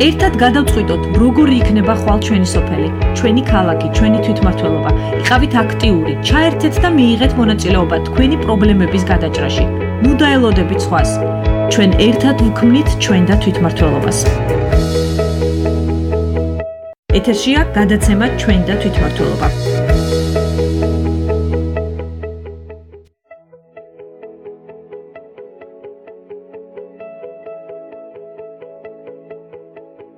ერთად გადავწყვიტოთ, როგორი იქნება ხვალ ჩვენი სოფელი, ჩვენი ქალაქი, ჩვენი თვითმმართველობა. იყავით აქტიური, ჩაერთეთ და მიიღეთ მონაწილეობა თქვენი პრობლემების გადაჭრაში. ნუ დაელოდებით სხვას. ჩვენ ერთად ვქმნით ჩვენ და თვითმმართველობას. ეთერშია გადაცემა ჩვენ და თვითმმართველობა.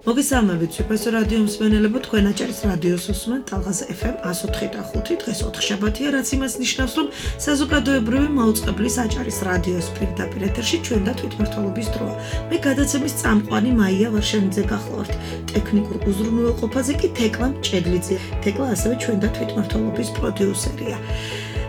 მოგესალმებით, სუპერსო რადიო მსმენელებო, თქვენ აჭარის რადიოს უსმენთ ტალღაზე FM 104.5, დღეს 4 შაბათია, რაც იმას ნიშნავს, რომ საზოგადოებრივი მაუწყებლის აჭარის რადიოს პირდაპირ ეთერში ჩვენ და თვითმმართველობის დროა. მე გადაცემის წამყვანი მაია ვარშენიძე გახლავართ. ტექნიკურ უზრუნველყოფაზე კი თეკლა მჭედლიძე. თეკლა ასევე ჩვენ და თვითმმართველობის პროდიუსერია.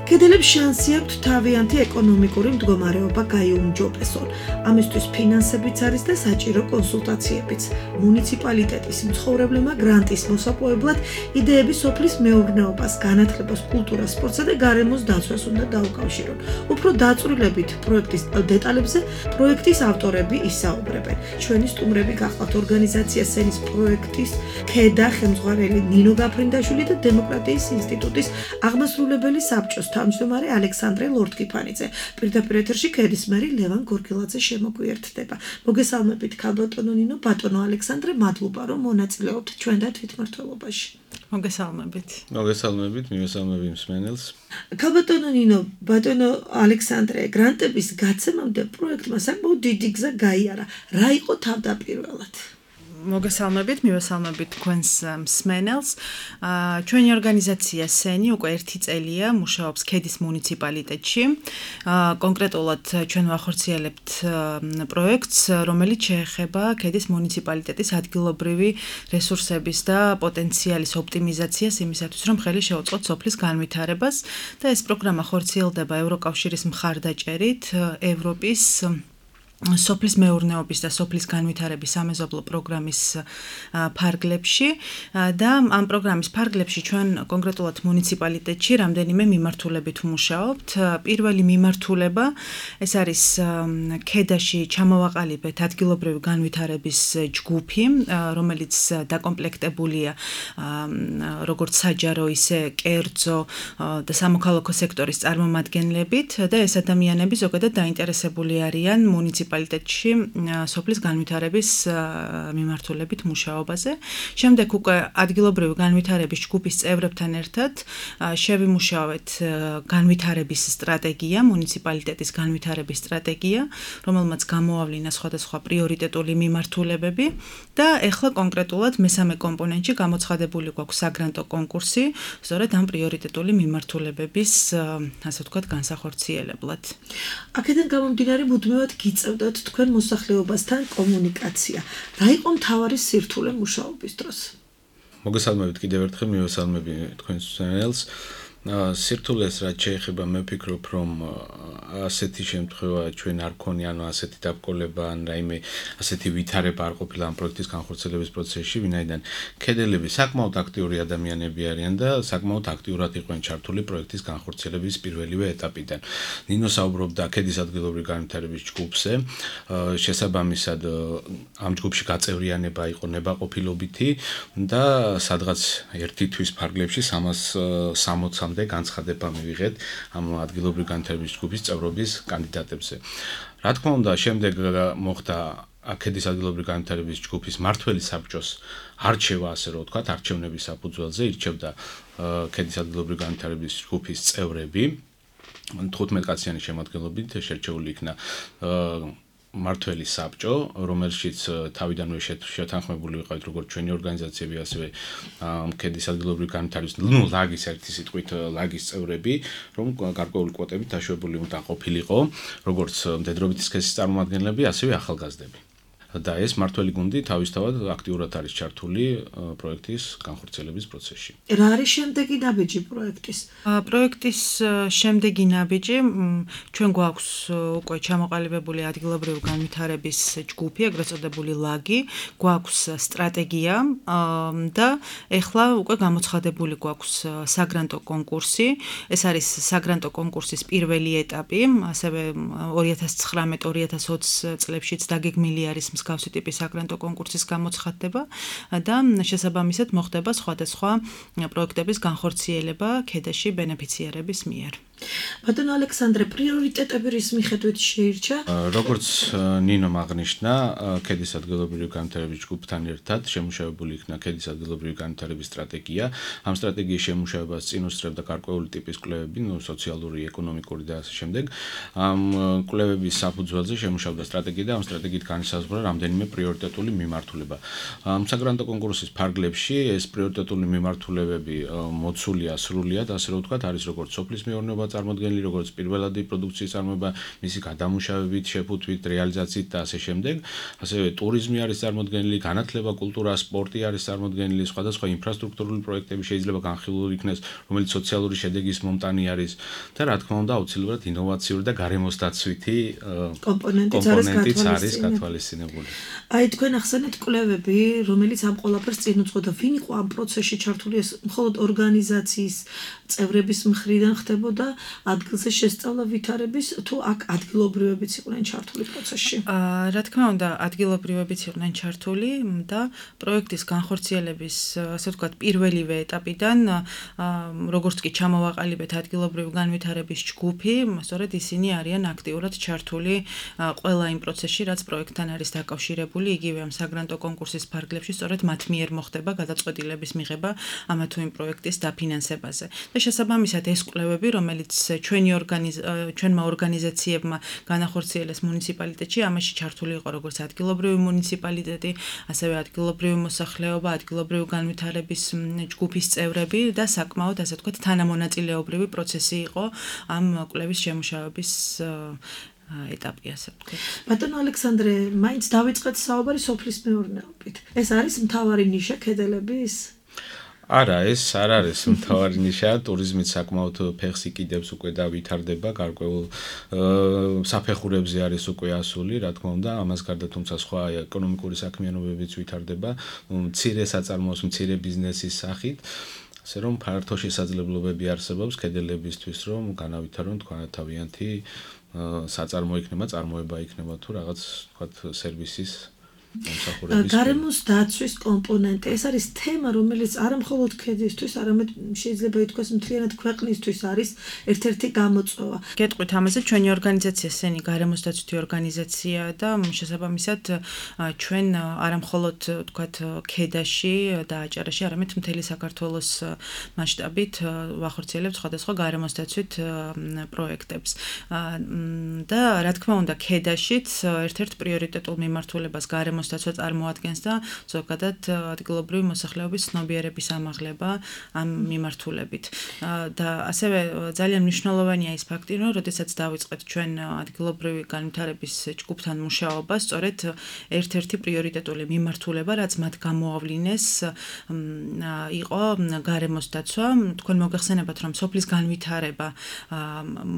კედელებს შანსი აქვთ თავიანთი ეკონომიკური მდგომარეობა გაიუმჯობესონ. ამისთვის ფინანსებიც არის და საჭირო კონსულტაციებიც. მუნიციპალიტეტის მცხოვრებლებმა გრანტის მოსაპოვებლად იდეები სოფლის მეურნეობას, განათლებას, კულტურას, სპორტსა და გარემოს დაცვას უნდა დაუკავშირონ. უფრო დაწვრილებით პროექტის დეტალებზე პროექტის ავტორები ისაუბრებენ. ჩვენი სტუმრები გახლავთ ორგანიზაცია სენის პროექტის ქედა ხელმძღვანელი ნინო გაფრინდაშვილი და დემოკრატიის ინსტიტუტის აღმასრულებელი საბჭოს თავმჯდომარე ალექსანდრე ლორთქიფანიძე. პირდაპირ ეთერში ქედის მერი ლევან გორგილაძე შემოგვიერთდება. მოგესალმებით ქალბატონო ნინო, ბატონო ალექსანდრე, მადლობა რომ მონაწილეობთ ჩვენ და თვითმმართველობაში. მოგესალმებით. მოგესალმებით, მივესალმები მსმენელს. ქალბატონო ნინო, ბატონო ალექსანდრე, გრანტების გაცემამდე პროექტმა საკმაოდ დიდი გზა გაიარა. რა იყო თავდაპირველად? მოგესალმებით, მივესალმებით თქვენს მსმენელს. ჩვენი ორგანიზაცია სენი უკვე 1 წელია მუშაობს ქედის მუნიციპალიტეტში. კონკრეტულად ჩვენ ვახორციელებთ პროექტს, რომელიც შეეხება ქედის მუნიციპალიტეტის ადგილობრივი რესურსების და პოტენციალის ოპტიმიზაციას იმისათვის, რომ ხელი შეუწყოთ სოფლის განვითარებას და ეს პროგრამა ხორციელდება ევროკავშირის მხარდაჭერით ევროპის სოფლის მეურნეობის და სოფლის განვითარების სამეზობლო პროგრამის ფარგლებში და ამ პროგრამის ფარგლებში ჩვენ კონკრეტულად მუნიციპალიტეტში რამდენიმე მიმართულებით ვმუშაობთ. პირველი მიმართულება ეს არის ქედაში ჩამოვაყალიბეთ ადგილობრივი განვითარების ჯგუფი, რომელიც დაკომპლექტებულია როგორც საჯარო, ისე კერძო და სამოქალაქო სექტორის წარმომადგენლებით და ეს ადამიანები ზოგადად დაინტერესებული არიან მუნიციპალიტეტში სოფლის განვითარების მიმართულებით მუშაობაზე. შემდეგ უკვე ადგილობრივი განვითარების ჯგუფის წევრებთან ერთად შევიმუშავეთ განვითარების სტრატეგია, მუნიციპალიტეტის განვითარების სტრატეგია, რომელმაც გამოავლინა სხვადასხვა პრიორიტეტული მიმართულებები და ეხლა კონკრეტულად მესამე კომპონენტში გამოცხადებული გვაქვს საგრანტო კონკურსი, სწორედ ამ პრიორიტეტული მიმართულებების, ასე ვთქვათ, განსახორციელებლად. აქედან გამომდინარე მუდმივად გიწევთ თქვენ მოსახლეობასთან კომუნიკაცია. რა იყო მთავარი სირთულე მუშაობის დროს? მოგესალმებით კიდევ ერთხელ, მივესალმები თქვენს მსმენელს. სირთულეს რაც შეეხება, მე ვფიქრობ, რომ ასეთი შემთხვევა ჩვენ არ ქონია, ანუ ასეთი დაბკოლება ან რაიმე ასეთი ვითარება არ ყოფილა ამ პროექტის განხორციელების პროცესში, ვინაიდან ქედელები საკმაოდ აქტიური ადამიანები არიან და საკმაოდ აქტიურად იყვნენ ჩართული პროექტის განხორციელების პირველივე ეტაპიდან. ნინო საუბრობდა ქედის ადგილობრივი განვითარების ჯგუფზე, შესაბამისად ამ ჯგუფში გაწევრიანება იყო ნებაყოფილობითი და სადღაც ერთი თვის ფარგლებში 360 განცხადება მივიღეთ ამ ადგილობრივი განვითარების ჯგუფის წევრობის კანდიდატებზე. რა თქმა უნდა, შემდეგ მოხდა ქედის ადგილობრივი განვითარების ჯგუფის მმართველი საბჭოს არჩევა, ასე რომ ვთქვათ, არჩევნების საფუძველზე ირჩევდა ქედის ადგილობრივი განვითარების ჯგუფის წევრები. 15 კაციანი შემადგენლობით შერჩეული იქნა მმართველი საბჭო, რომელშიც თავიდანვე შეთანხმებული ვიყავით როგორც ჩვენი ორგანიზაციები, ასევე ქედის ადგილობრივი განვითარების, ლაგის ერთი სიტყვით ლაგის წევრები, რომ გარკვეული კვოტებით დაშვებული უნდა ყოფილიყო, როგორც მდედრობითი სქესის წარმომადგენლები, ასევე ახალგაზრდები. და ეს მმართველი გუნდი თავისთავად აქტიურად არის ჩართული პროექტის განხორციელების პროცესში. რა არის შემდეგი ნაბიჯი პროექტის? პროექტის შემდეგი ნაბიჯი ჩვენ გვაქვს უკვე ჩამოყალიბებული ადგილობრივი განვითარების ჯგუფი, ეგრეთ წოდებული ლაგი, გვაქვს სტრატეგია და ეხლა უკვე გამოცხადებული გვაქვს საგრანტო კონკურსი. ეს არის საგრანტო კონკურსის პირველი ეტაპი, ასევე 2019-2020 წლებშიც დაგეგმილი არის მსგავსი ტიპის საგრანტო კონკურსის გამოცხადდება და შესაბამისად მოხდება სხვადასხვა პროექტების განხორციელება ქედაში ბენეფიციარების მიერ. ბატონო ალექსანდრე, პრიორიტეტები რის მიხედვით შეირჩა? როგორც ნინომ აღნიშნა, ქედის ადგილობრივი განვითარების ჯგუფთან ერთად შემუშავებული იქნა ქედის ადგილობრივი განვითარების სტრატეგია. ამ სტრატეგიის შემუშავებას წინ უსწრებდა გარკვეული ტიპის კვლევები, სოციალური, ეკონომიკური და ასე შემდეგ. ამ კვლევების საფუძველზე შემუშავდა სტრატეგია და ამ სტრატეგიით განისაზღვრა რამდენიმე პრიორიტეტული მიმართულება. ამ საგრანტო კონკურსის ფარგლებში ეს პრიორიტეტული მიმართულებები მოცულია სრულიად, ასე რომ ვთქვათ, არის როგორც სოფლის მეურნეობა წარმოდგენილი, როგორც პირველადი პროდუქციის წარმოება, მისი გადამუშავებით, შეფუთვით, რეალიზაციით და ასე შემდეგ. ასევე ტურიზმი არის წარმოდგენილი, განათლება, კულტურა, სპორტი არის წარმოდგენილი, სხვადასხვა ინფრასტრუქტურული პროექტები შეიძლება განხილული იქნეს, რომელიც სოციალური შედეგის მომტანი არის და რა თქმა უნდა, აუცილებლად ინოვაციური და გარემოსდაცვითი კომპონენტიც არის გათვალისწინებული. აი თქვენ ახსენეთ კვლევები, რომელიც ამ ყველაფერს წინ უძღოდა, ვინ იყო ამ პროცესში ჩართული? ეს მხოლოდ ორგანიზაციის წევრების მხრიდან ხდებოდა ადგილზე შესწავლა ვითარების, თუ აქ ადგილობრივებიც იყვნენ ჩართული პროცესში? რა თქმა უნდა, ადგილობრივებიც იყვნენ ჩართული და პროექტის განხორციელების, ასე ვთქვათ, პირველივე ეტაპიდან, როგორც კი ჩამოვაყალიბეთ ადგილობრივი განვითარების ჯგუფი, სწორედ ისინი არიან აქტიურად ჩართული ყველა იმ პროცესში, რაც პროექტთან არის დაკავშირებული, იგივე ამ საგრანტო კონკურსის ფარგლებში, სწორედ მათ მიერ მოხდება გადაწყვეტილების მიღება ამა თუ იმ პროექტის დაფინანსებაზე. და შესაბამისად ეს კვლევები, რომელიც ჩვენმა ორგანიზაციებმა განახორციელეს მუნიციპალიტეტში, ამაში ჩართული იყო როგორც ადგილობრივი მუნიციპალიტეტი, ასევე ადგილობრივი მოსახლეობა, ადგილობრივი განვითარების ჯგუფის წევრები და საკმაოდ, ასე ვთქვათ, თანამონაწილეობრივი პროცესი იყო ამ კვლევის შემუშავების ეტაპი, ასე ვთქვათ. ბატონო ალექსანდრე, მაინც დავიწყეთ საუბარი სოფლის მეურნეობით. ეს არის მთავარი ნიშა ქედელების? არა, ეს არ არის მთავარი ნიშა, ტურიზმით საკმაოდ ფეხს იკიდებს უკვე და ვითარდება, გარკვეულ საფეხურებზე არის უკვე ასული, რა თქმა უნდა, ამას გარდა თუმცა სხვა ეკონომიკური საქმიანობებიც ვითარდება, მცირე საწარმოოს, მცირე ბიზნესის სახით. ასე რომ ფართო შესაძლებლობები არსებობს ქედელებისთვის, რომ განავითარონ თქვათ თავიანთი საწარმო იქნება, წარმოება იქნება თუ რაღაც თქვათ სერვისის გარემოს დაცვის კომპონენტი, ეს არის თემა, რომელიც არა მხოლოდ ქედისთვის, არამედ შეიძლება ითქვას მთლიანად ქვეყნისთვის არის ერთ-ერთი გამოწვევა. გეტყვით ამაზე, ჩვენი ორგანიზაცია სენი გარემოს დაცვითი ორგანიზაცია და შესაბამისად ჩვენ არა მხოლოდ თქვათ ქედაში და აჭარაში, არამედ მთელი საქართველოს მასშტაბით ვახორციელებთ სხვადასხვა გარემოს დაცვით პროექტებს. და რა თქმა უნდა, ქედაშიც ერთ-ერთ პრიორიტეტულ მიმართულებას გარემოს დაცვა წარმოადგენს და ზოგადად ადგილობრივი მოსახლეობის ცნობიერების ამაღლება ამ მიმართულებით. და ასევე ძალიან მნიშვნელოვანია ის ფაქტი, რომ როდესაც დავიწყეთ ჩვენ ადგილობრივი განვითარების ჯგუფთან მუშაობა, სწორედ ერთ-ერთი პრიორიტეტული მიმართულება, რაც მათ გამოავლინეს, იყო გარემოს დაცვა. თქვენ მოგეხსენებათ, რომ სოფლის განვითარება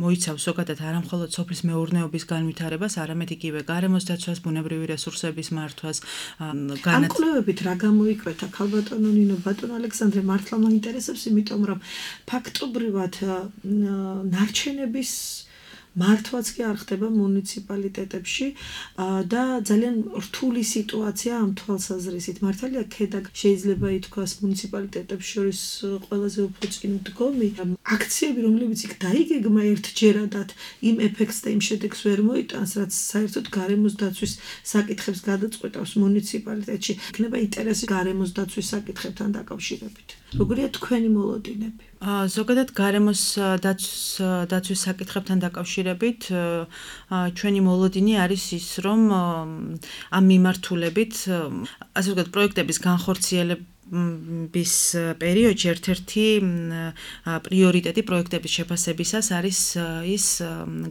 მოიცავს ზოგადად არა მხოლოდ სოფლის მეურნეობის განვითარებას, არამედ იგივე გარემოს დაცვას, ბუნებრივი რესურსების მართვას, ამ კვლევებით რა გამოიკვეთა ქალბატონო ნინო, ბატონო ალექსანდრე, მართლა მაინტერესებს, იმიტომ რომ ფაქტობრივად ნარჩენების მართვაც კი არ ხდება მუნიციპალიტეტებში და ძალიან რთული სიტუაცია ამ თვალსაზრისით. მართალია ქედა შეიძლება ითქვას მუნიციპალიტეტებს შორის ყველაზე უფრო წინ დგომი. აქციები, რომლებიც იქ დაიგეგმა ერთჯერადად იმ ეფექტს და იმ შედეგს ვერ მოიტანს, რაც საერთოდ გარემოს დაცვის საკითხებს გადაწყვეტავს მუნიციპალიტეტში. იქნება ინტერესი გარემოს დაცვის საკითხებთან დაკავშირებით. როგორია თქვენი მოლოდინები? ზოგადად გარემოს დაცვის საკითხებთან დაკავშირებით ჩვენი მოლოდინი არის ის, რომ ამ მიმართულებით, ასე ვთქვათ, პროექტების განხორციელება bis პერიოდში ერთ-ერთი პრიორიტეტი პროექტების შეფასებისას არის ის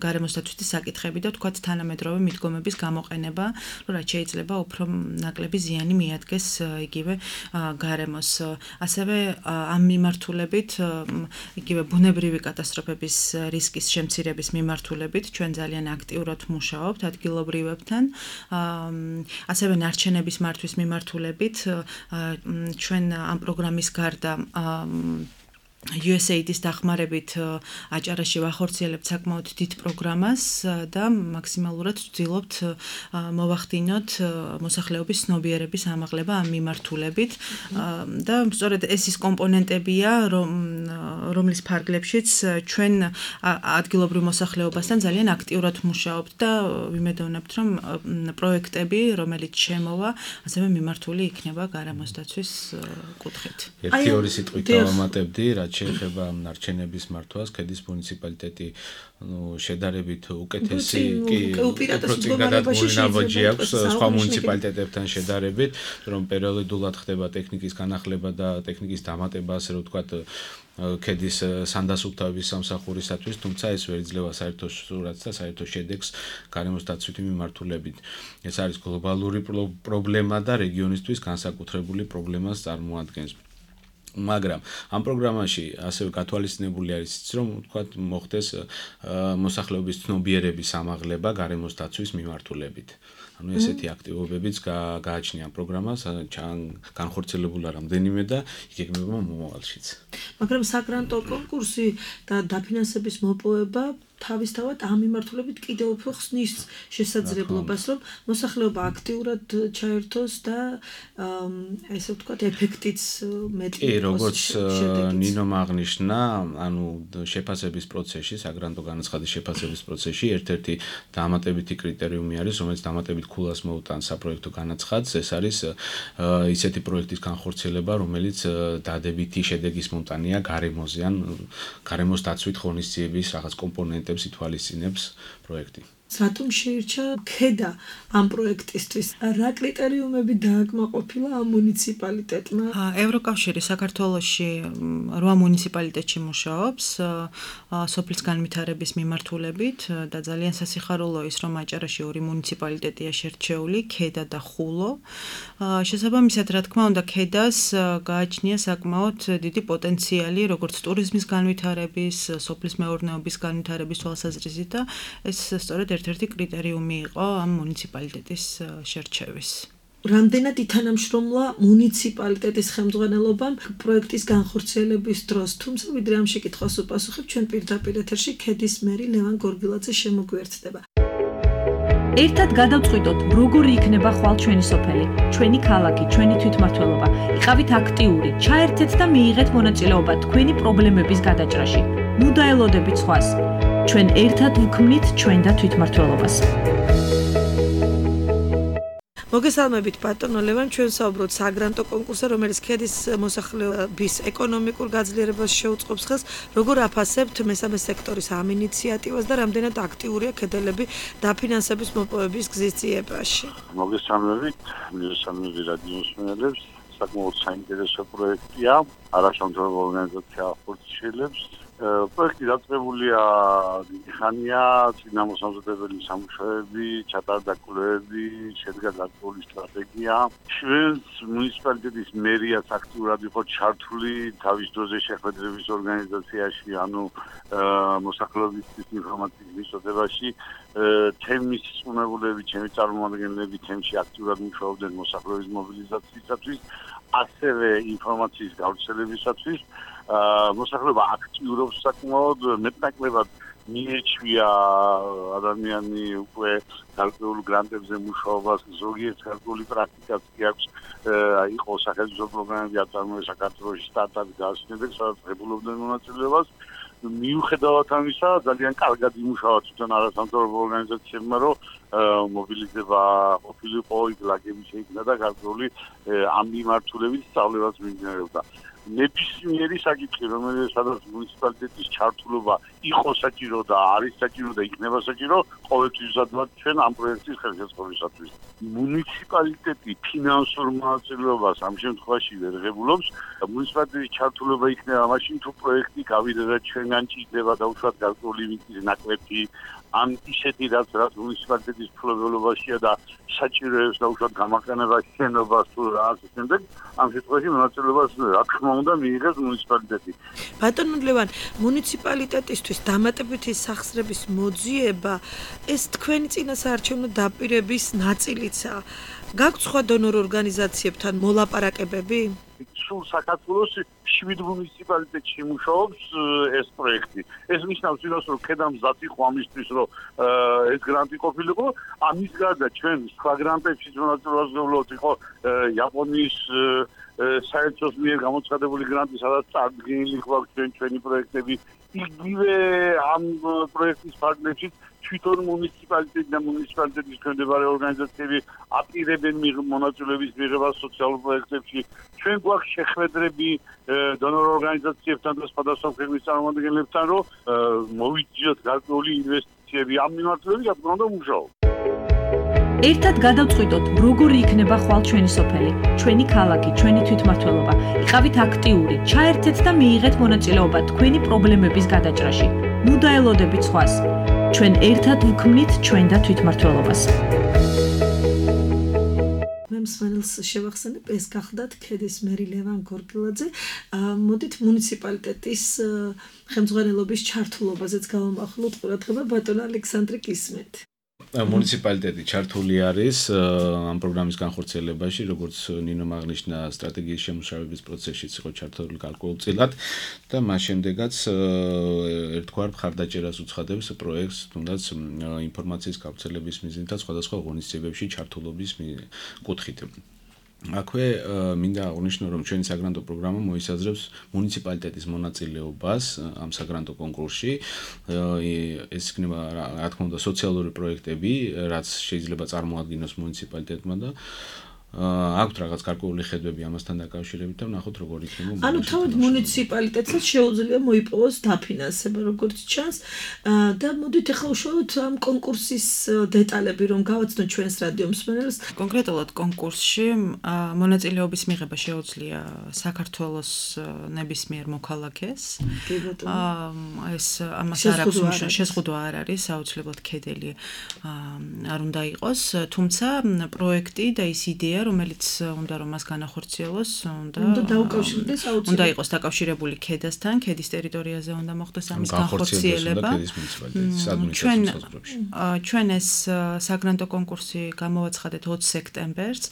გარემოს დაცვითი საკითხები და თქვათ თანამედროვე მიდგომების გამოყენება, რომ რაც შეიძლება უფრო ნაკლები ზიანი მიადგეს იგივე გარემოს. ასევე ამ მიმართულებით, იგივე ბუნებრივი კატასტროფების რისკის შემცირების მიმართულებით ჩვენ ძალიან აქტიურად მუშაობთ ადგილობრივებთან. ასევე ნარჩენების მართვის მიმართულებით ჩვენ ამ პროგრამის გარდა USAID-ის დახმარებით აჭარაში ვახორციელებთ საკმაოდ დიდ პროგრამას და მაქსიმალურად ვცდილობთ მოვახდინოთ მოსახლეობის ცნობიერების ამაღლება ამ მიმართულებით და სწორედ ეს ის კომპონენტებია, რომლის ფარგლებშიც ჩვენ ადგილობრივ მოსახლეობასთან ძალიან აქტიურად მუშაობთ და ვიმედოვნებთ, რომ პროექტები, რომელიც შემოვა, ასევე მიმართული იქნება გარემოს დაცვის კუთხით. ერთი ორი სიტყვით დავამატებდი, რაც შეეხება ნარჩენების მართვას, ქედის მუნიციპალიტეტი შედარებით უკეთესი ნაბიჯი აქვს სხვა მუნიციპალიტეტებთან შედარებით, რომ პერიოდულად ხდება ტექნიკის განახლება და ტექნიკის დამატება, ასე რომ ვთქვათ, ქედის სანდასუფთავების სამსახურისათვის, თუმცა ეს ვერ იძლევა საერთო სურათს და საერთო შედეგს გარემოს დაცვითი მიმართულებით. ეს არის გლობალური პრობლემა და რეგიონისთვის განსაკუთრებული პრობლემას წარმოადგენს. მაგრამ ამ პროგრამაში ასევე გათვალისწინებული არის ის, რომ ვთქვათ, მოხდეს მოსახლეობის ცნობიერების ამაღლება გარემოს დაცვის მიმართულებით. ანუ ესეთი აქტივობებიც გააჩნია ამ პროგრამას, განხორციელებულა რამდენიმე და იგეგმება მომავალშიც. მაგრამ საგრანტო კონკურსი და დაფინანსების მოპოვება თავისთავად ამ მიმართულებით კიდევ უფრო ხსნის შესაძლებლობას, რომ მოსახლეობა აქტიურად ჩაერთოს და ესე ვთქვათ, ეფექტიც მეტი კი, როგორც ნინომ აღნიშნა, ანუ შეფასების პროცესში, საგრანტო განაცხადის შეფასების პროცესში ერთ-ერთი დამატებითი კრიტერიუმი არის, რომელიც დამატებით ქულას მოუტანს საპროექტო განაცხადს, ეს არის ისეთი პროექტის განხორციელება, რომელიც დადებითი შედეგის მომტანია გარემოზე, ან გარემოს დაცვით ღონისძიების რაღაც კომპონენტებს ითვალისწინებს პროექტი. რატომ შეირჩა ქედა ამ პროექტისთვის? რა კრიტერიუმები დააკმაყოფილა ამ მუნიციპალიტეტმა? ევროკავშირი საქართველოში 8 მუნიციპალიტეტში მუშაობს სოფლის განვითარების მიმართულებით და ძალიან სასიხარულო ის, რომ აჭარაში 2 მუნიციპალიტეტია შერჩეული, ქედა და ხულო. შესაბამისად, რა თქმა უნდა, ქედას გააჩნია საკმაოდ დიდი პოტენციალი, როგორც ტურიზმის განვითარების, სოფლის მეურნეობის განვითარების თვალსაზრისით და ეს სწორედ ერთ-ერთი კრიტერიუმი იყო ამ მუნიციპალიტეტის შერჩევის. რამდენად ითანამშრომლა მუნიციპალიტეტის ხელმძღვანელობამ პროექტის განხორციელების დროს, თუმცა ვიდრე ამ შეკითხვას უპასუხებ, ჩვენ პირდაპირ ეთერში ქედის მერი ლევან გორგილაძე შემოგვიერთდება. ერთად გადავწყვიტოთ, როგორი იქნება ხვალ ჩვენი სოფელი, ჩვენი ქალაქი, ჩვენი თვითმმართველობა. იყავით აქტიური, ჩაერთეთ და მიიღეთ მონაწილეობა თქვენი პრობლემების გადაჭრაში. ნუ დაელოდებით სხვას. ჩვენ ერთად ვქმნით ჩვენ და თვითმმართველობას. მოგესალმებით ბატონო ლევან, ჩვენ საუბრობთ საგრანტო კონკურსზე, რომელიც ქედის მოსახლეობის ეკონომიკურ გაძლიერებას შეუწყობს ხელს. როგორ აფასებთ მესამე სექტორის ამ ინიციატივას და რამდენად აქტიურია ქედელები დაფინანსების მოპოვების გზის ძიებაში? მოგესალმებით რადიო მსმენელებს, საკმაოდ საინტერესო პროექტია, არასამთავრობო ორგანიზაცია ახორციელებს. პროექტი დაწყებულია დიდი ხანია, წინამოსამზადებელი სამუშაოები, ჩატარდა კვლევები, შედგა გარკვეული სტრატეგია. ჩვენს მუნიციპალიტეტის მერიაც აქტიურად იყო ჩართული თავის დროზე შეხვედრების ორგანიზაციაში, ანუ მოსახლეობის ინფორმაციის მიწოდებაში. თემის წვნებულები, ჩემი წარმომადგენლები თემში აქტიურად მუშაობდნენ მოსახლეობის მობილიზაციისათვის, ასევე ინფორმაციის გავრცელებისათვის. მოსახლეობა აქტიურობს საკმაოდ, მეტნაკლებად მიეჩვია ადამიანი უკვე გარკვეულ გრანტებზე მუშაობას, ზოგიერთ გარკვეული პრაქტიკაც კი აქვს, იყო სახელმწიფო პროგრამები აწარმოეს საქართველოში სტარტაპი გააჩნიათ, სადაც ღებულობდნენ მონაწილეობას. მიუხედავად ამისა, ძალიან კარგად იმუშავა თვითონ არასამთავრობო ორგანიზაციებმა, რომ მობილიზება ყოფილიყო, იქ ლაგები შეიქმნა და გარკვეული ამ მიმართულებით სწავლებაც მიმდინარეობდა. ნებისმიერი საკითხი, რომელსაც მუნიციპალიტეტის ჩართულობა იყო საჭირო და არის საჭირო და იქნება საჭირო, ყოველთვის ვზადვართ ჩვენ ამ პროექტის ხელშეწყობისათვის. მუნიციპალიტეტი ფინანსურ მონაწილეობას ამ შემთხვევაში ვერ ღებულობს. მუნიციპალიტეტის ჩართულობა იქნება მაშინ, თუ პროექტი გავიდა და ჩვენგან ჭირდება დაუშვათ გარკვეული მიწის ნაკვეთი, ან ისეთი რაც მუნიციპალიტეტის მფლობელობაშია და საჭიროებს დაუშვათ გამაყენებას, შენობას თუ რა ასე შემდეგ, ამ შემთხვევაში მონაწილეობას რა თქმა უნდა მიიღებს მუნიციპალიტეტი. ბატონო ლევან, მუნიციპალიტეტისთვის დამატებითი სახსრების მოძიება ეს თქვენი წინასაარჩევნო დაპირების ნაწილიცაა. გაქვთ სხვა დონორ ორგანიზაციებთან მოლაპარაკებები? სულ საქართველოს 7 მუნიციპალიტეტში მუშაობს ეს პროექტი. ეს ნიშნავს იმას, რომ ქედა მზად იყო ამისთვის, რომ ეს გრანტი ყოფილიყო. ამის გარდა ჩვენ სხვა გრანტებშიც მონაწილეობას ვიღებთ, იყო იაპონიის საერთოს მიერ გამოცხადებული გრანტი, სადაც წარდგენილი გვაქვს ჩვენი პროექტები. იგივე ამ პროექტის ფარგლებშიც თვითონ მუნიციპალიტეტი და მუნიციპალიტეტის ქვემდებარე ორგანიზაციები აპირებენ მონაწილეობის მიღებას სოციალურ პროექტებში. ჩვენ გვაქვს შეხვედრები დონორ ორგანიზაციებთან და სხვადასხვა ქვეყნის წარმომადგენლებთან, რომ მოვიძიოთ გარკვეული ინვესტიციები ამ მიმართულებით, რა თქმა უნდა, მუშაობთ. ერთად გადავწყვიტოთ, როგორი იქნება ხვალ ჩვენი სოფელი, ჩვენი ქალაქი, ჩვენი თვითმმართველობა. იყავით აქტიური, ჩაერთეთ და მიიღეთ მონაწილეობა თქვენი პრობლემების გადაჭრაში. ნუ დაელოდებით სხვას. ჩვენ ერთად ვქმნით ჩვენ და თვითმმართველობას. მე მსმენელს შევახსენებ, ეს გახდათ ქედის მერი ლევან გორგილაძე. მოდით მუნიციპალიტეტის ხელმძღვანელობის ჩართულობაზეც გავამახვილოთ ყურადღება, ბატონ ალექსანდრე გისმენთ. მუნიციპალიტეტი ჩართული არის ამ პროგრამის განხორციელებაში, როგორც ნინომ აღნიშნა, სტრატეგიის შემუშავების პროცესშიც იყო ჩართული გარკვეულწილად და მას შემდეგაც ერთგვარ მხარდაჭერას უცხადებს პროექტს, თუნდაც ინფორმაციის გავრცელების მიზნით და სხვადასხვა ღონისძიებებში ჩართულობის კუთხით. აქვე მინდა აღვნიშნო, რომ ჩვენი საგრანტო პროგრამა მოისაზრებს მუნიციპალიტეტის მონაწილეობას ამ საგრანტო კონკურსში. ეს იქნება, რა თქმა უნდა, სოციალური პროექტები, რაც შეიძლება წარმოადგინოს მუნიციპალიტეტმა და აქვთ რაღაც გარკვეული ხედვები ამასთან დაკავშირებით და ვნახოთ როგორ იქნება. ანუ თავად მუნიციპალიტეტსაც შეუძლია მოიპოვოს დაფინანსება, როგორც ჩანს. და მოდით ახლა უშუალოდ ამ კონკურსის დეტალები რომ გავაცნოთ ჩვენს რადიო მსმენელს. კონკრეტულად კონკურსში მონაწილეობის მიღება შეუძლია საქართველოს ნებისმიერ მოქალაქეს. ეს ამას არ აქვს შეზღუდვა არ არის, აუცილებლად ქედელი არ უნდა იყოს, თუმცა პროექტი და ის იდეა რომელიც უნდა რომ მას განახორციელოს, უნდა იყოს დაკავშირებული ქედასთან, ქედის ტერიტორიაზე უნდა მოხდეს ამის განხორციელება. ჩვენ ეს საგრანტო კონკურსი გამოვაცხადეთ 20 სექტემბერს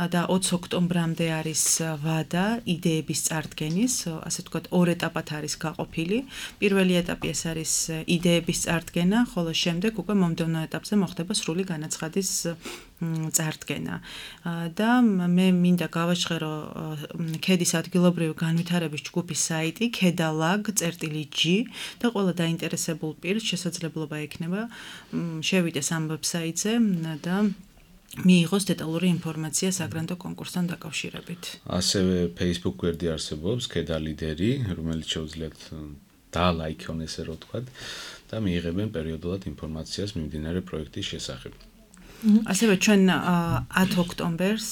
და 20 ოქტომბრამდე არის ვადა იდეების წარდგენის, ასე ვთქვათ, ორ ეტაპად არის გაყოფილი. პირველი ეტაპი ეს არის იდეების წარდგენა, ხოლო შემდეგ უკვე მომდევნო ეტაპზე მოხდება სრული განაცხადის წარდგენა. და მე მინდა გავაჟღერო ქედის ადგილობრივი განვითარების ჯგუფის საიტი kedalag.g და ყველა დაინტერესებულ პირს შესაძლებლობა ექნება შევიდეს ამ ვებსაიტზე და მიიღოს დეტალური ინფორმაცია საგრანტო კონკურსთან დაკავშირებით. ასევე Facebook გვერდი არსებობს kedaLideri, რომელიც შეუძლიათ დაალაიქონ ესე რომ ვთქვათ და მიიღებენ პერიოდულად ინფორმაციას მიმდინარე პროექტის შესახებ. ასევე ჩვენ 10 ოქტომბერს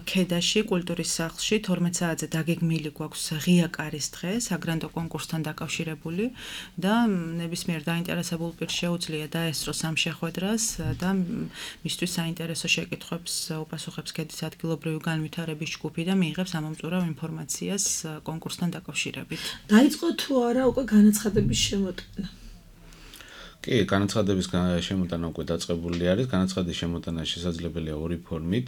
ქედაში კულტურის სახლში 12 საათზე დაგეგმილი გვაქვს ღია კარის დღე საგრანტო კონკურსთან დაკავშირებული და ნებისმიერ დაინტერესებულ პირს შეუძლია დაესწროს ამ შეხვედრას და მისთვის საინტერესო შეკითხვებს უპასუხებს ქედის ადგილობრივი განვითარების ჯგუფი და მიიღებს ამომწურავ ინფორმაციას კონკურსთან დაკავშირებით. დაიწყო თუ არა უკვე განაცხადების შემოტანა? კი, განაცხადების შემოტანა უკვე დაწყებული არის. განაცხადის შემოტანა შესაძლებელია ორი ფორმით: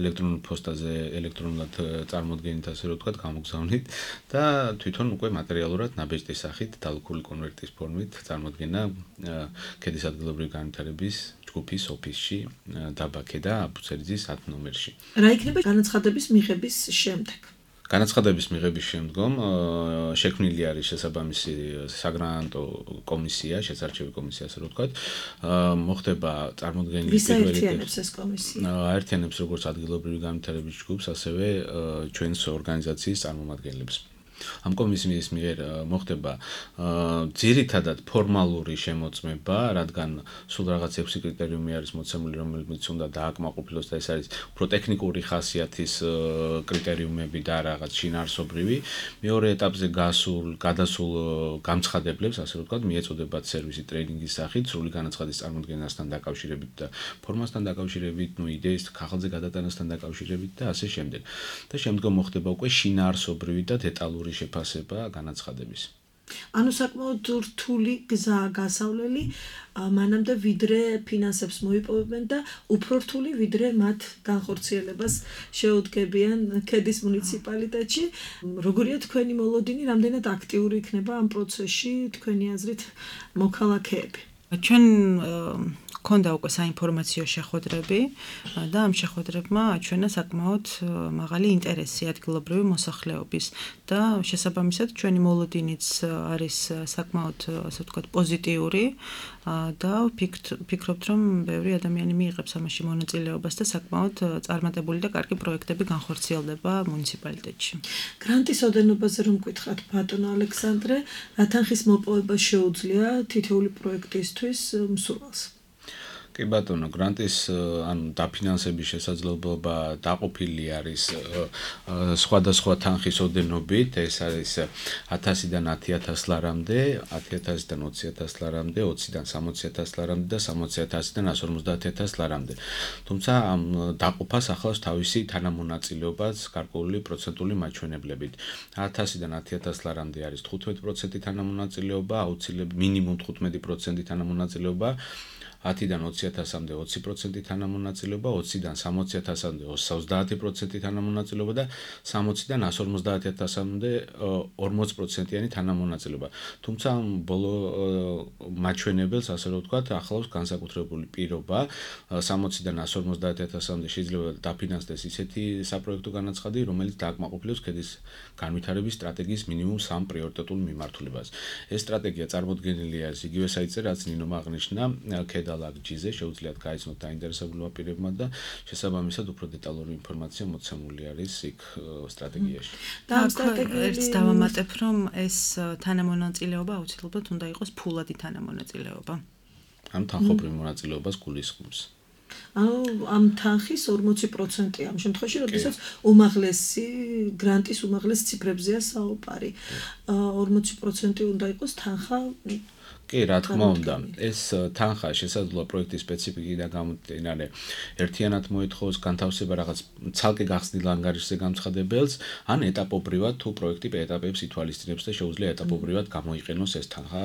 ელექტრონულ პოსტაზე, ელექტრონულად წარმოდგენით, ასე რომ ვთქვათ, გამოგზავნით და თვითონ უკვე მატერიალურად ნაბეჭდის სახით დალუქული კონვერტის ფორმით წარმოდგენა ქედის ადგილობრივი განვითარების ჯგუფის ოფისში, დაბა ქედა, აბუცერიძის 10 ნომერში. რა იქნება განაცხადების მიღების შემდეგ? განაცხადების მიღების შემდგომ შექმნილი არის შესაბამისი საგრანტო კომისია, შესარჩევი კომისია, ასე რომ ვთქვათ, მოხდება წარმოდგენილი პირველი აერთიანებს ეს კომისია. აერთიანებს როგორც ადგილობრივი განვითარების ჯგუფს, ასევე ჩვენს ორგანიზაციის წარმომადგენლებს. ამ კომისიის მიერ მოხდება ძირითადად ფორმალური შემოწმება, რადგან სულ რაღაც 6 კრიტერიუმი არის მოცემული, რომელიც უნდა დააკმაყოფილოს და ეს არის უფრო ტექნიკური ხასიათის კრიტერიუმები და რაღაც შინაარსობრივი. მეორე ეტაპზე გადასულ გამცხადებლებს, ასე რომ ვთქვათ, მიეწოდებათ სერვისი ტრეინინგის სახით, სრული განაცხადის წარმოდგენასთან დაკავშირებით და ფორმასთან დაკავშირებით, იდეის ხალხზე გადატანასთან დაკავშირებით და ასე შემდეგ. და შემდგომ მოხდება უკვე შინაარსობრივი და დეტალური შეფასება განაცხადების. ანუ საკმაოდ რთული გზაა გასავლელი მანამდე ვიდრე ფინანსებს მოიპოვებენ და უფრო რთული ვიდრე მათ განხორციელებას შეუდგებიან ქედის მუნიციპალიტეტში. როგორია თქვენი მოლოდინი, რამდენად აქტიური იქნება ამ პროცესში თქვენი აზრით მოქალაქეები? ჩვენ ქონდა უკვე საინფორმაციო შეხვედრები და ამ შეხვედრებმა აჩვენა საკმაოდ მაღალი ინტერესი ადგილობრივი მოსახლეობის და შესაბამისად ჩვენი მოლოდინიც არის საკმაოდ ასე ვთქვათ პოზიტიური და ვფიქრობთ რომ ბევრი ადამიანი მიიღებს ამაში მონაწილეობას და საკმაოდ წარმატებული და კარგი პროექტები განხორციელდება მუნიციპალიტეტში. გრანტის ოდენობაზე რომ გითხრათ ბატონო ალექსანდრე, რა თანხის მოპოვება შეუძლია თითოეული პროექტისთვის მსურველს? კი ბატონო, გრანტის ანუ დაფინანსების შესაძლებლობა დაყოფილი არის სხვადასხვა თანხის ოდენობით, ეს არის 1000-დან 10000 ლარამდე, 10000-დან 20000 ლარამდე, 20-დან 60000 ლარამდე და 60000-დან 150000 ლარამდე. თუმცა ამ დაყოფას ახლავს თავისი თანამონაწილეობაც გარკვეული პროცენტული მაჩვენებლებით. 1000-დან 10000 ლარამდე არის 15% თანამონაწილეობა, აუცილებლად მინიმუმ 15% თანამონაწილეობა. 10-დან 20000-მდე 20% თანამონაწილეობა, 20-დან 60000-მდე 30% თანამონაწილეობა და 60-დან 150000-მდე 40%-იანი თანამონაწილეობა. თუმცა ბოლო მაჩვენებელს ასე რომ ვთქვათ, ახლავს განსაკუთრებული პირობა, 60-დან 150000-მდე შეიძლება დაფინანსდეს ისეთი საპროექტო განაცხადი, რომელიც დააკმაყოფილებს ქედის განვითარების სტრატეგიის მინიმუმ 3 პრიორიტეტულ მიმართულებას. ეს სტრატეგია წარმოდგენილია იგივე საიტზე, რაც ნინომ აღნიშნა, ლაგჯიზე შეუძლიათ გაიცნოთ დაინტერესებულმა პირებმა და შესაბამისად უფრო დეტალური ინფორმაცია მოცემული არის იქ სტრატეგიაში. და ამ სტრატეგიაში დავამატებ, რომ ეს თანამონაწილეობა აუცილებლად უნდა იყოს ფულადი თანამონაწილეობა. ამ თანხობრივ მონაწილეობას გულისხმობს. ანუ ამ თანხის 40% ამ შემთხვევაში, როდესაც უმაღლესი გრანტის უმაღლეს ციფრებზეა საუბარი. 40% უნდა იყოს თანხა კი, რა თქმა უნდა, ეს თანხა შესაძლოა პროექტის სპეციფიკიდან გამომდინარე ერთიანად მოითხოვოს განთავსება რაღაც ცალკე გახსნილ ანგარიშზე გამცხადებელს, ან ეტაპობრივად თუ პროექტი ეტაპებს ითვალისწინებს და შეუძლია ეტაპობრივად გამოიყენოს ეს თანხა,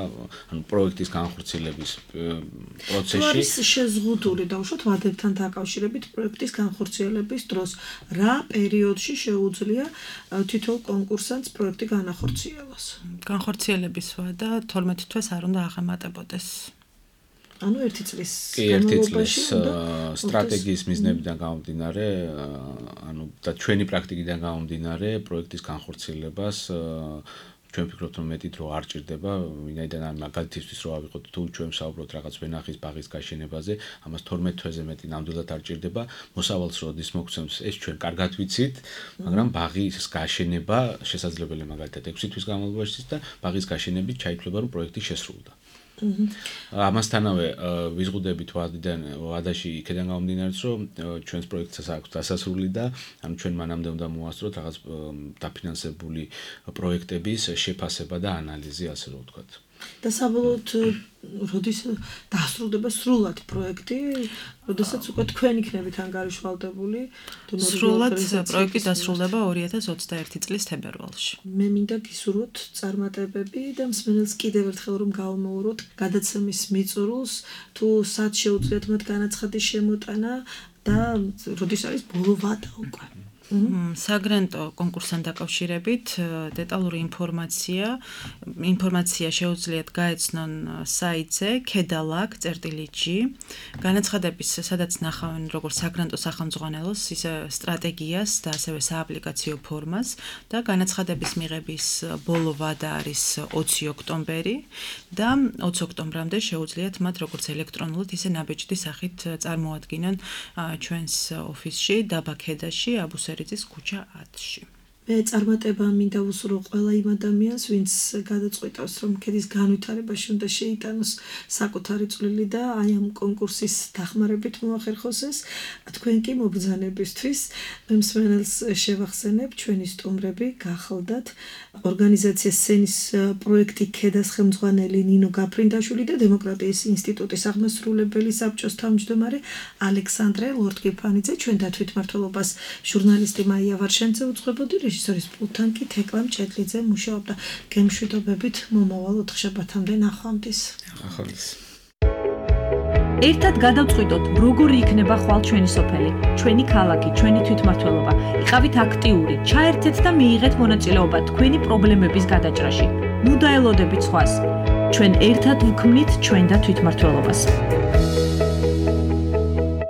ანუ პროექტის განხორციელების პროცესში. არის შეზღუდული დაუშვათ ვადებთან დაკავშირებით პროექტის განხორციელების დროს, რა პერიოდში შეუძლია თითოეულ კონკურსანტს პროექტი განახორციელოს? განხორციელების ვადა 12 თვეს არ უნდა აღემატებოდეს. ანუ 1 წლის განმავლობაში სტრატეგიის მიზნებიდან გამომდინარე, ანუ და ჩვენი პრაქტიკიდან გამომდინარე, პროექტის განხორციელებას ჩვენ ვფიქრობთ, რომ მეტი დრო არ ჭირდება, ვინაიდან ამ მაგალითისთვის რო ავიღოთ, თუ ჩვენ ვსაუბრობთ რაღაც ვენახის ბაღის გაშენებაზე, ამას 12 თვეზე მეტი ნამდვილად არ ჭირდება. მოსავალს როდის მოგცემს, ეს ჩვენ კარგად ვიცით, მაგრამ ბაღის გაშენება შესაძლებელია მაგალითად 6 თვის განმავლობაში და ბაღის გაშენებით ჩაითვლება, რომ პროექტი შესრულდა. ამასთანავე ვიზღუდებით ვადაში იქიდან გამომდინარე, რომ ჩვენს პროექტს აქვს დასასრული და ანუ ჩვენ მანამდე უნდა მოვასწროთ რაღაც დაფინანსებული პროექტების შეფასება და ანალიზი, ასე რომ ვთქვათ. და საბოლოოდ როდის დასრულდება სრულად პროექტი, როდესაც უკვე თქვენ იქნებით ანგარიშვალდებული, სრულად პროექტი დასრულდება 2021 წლის თებერვალში. მე მინდა გისურვოთ წარმატებები და მსმენელს კიდევ ერთხელ რომ გავამოუროთ გადაცემის მიწურულს, თუ სად შეუძლიათ მათ განაცხადის შემოტანა და როდის არის ბოლო ვადა უკვე. საგრანტო კონკურსთან დაკავშირებით დეტალური ინფორმაცია შეუძლიათ გაეცნონ საიტზე kedalag.g. განაცხადების სადაც ნახავენ როგორც საგრანტო სახელმძღვანელოს, ისე სტრატეგიას და ასევე სააპლიკაციო ფორმას და განაცხადების მიღების ბოლო ვადა არის 20 ოქტომბერი და 20 ოქტომბრამდე შეუძლიათ მათ როგორც ელექტრონულად, ისე ნაბეჭდი სახით წარმოადგინონ ჩვენს ოფისში დაბა ქედაში, აბუსერის ქუჩა 10-ში. მე წარმატება მინდა უსურვო ყველა იმ ადამიანს, ვინც გადაწყვიტავს, რომ ქედის განვითარებაში უნდა შეიტანოს საკუთარი წვლილი და აი ამ კონკურსის დახმარებით მოახერხოს ეს. თქვენ კი მობრძანებისთვის მსმენელს შევახსენებ, ჩვენი სტუმრები გახლდათ ორგანიზაცია სცენის პროექტი ქედას ხელმძღვანელი ნინო გაფრინდაშვილი და დემოკრატიის ინსტიტუტის აღმასრულებელი საბჭოს თავმჯდომარე ალექსანდრე ლორთგიფანიძე, ჩვენ და თვითმმართველობას ჟურნალისტი მაია ვარშენცე უძღვებოდი, რეჟისორის პულტთან კი თეკლა მჭედლიძე მუშაობდა. გემშვიდობებით მომავალ ოთხშაბათამდე ნახვამდის. ახალს ერთად გადავწყვიტოთ, როგორი იქნება ხვალ ჩვენი სოფელი, ჩვენი ქალაქი, ჩვენი თვითმმართველობა. იყავით აქტიური, ჩაერთეთ და მიიღეთ მონაწილეობა თქვენი პრობლემების გადაჭრაში. ნუ დაელოდებით სხვას. ჩვენ ერთად ვქმნით ჩვენ და თვითმმართველობას.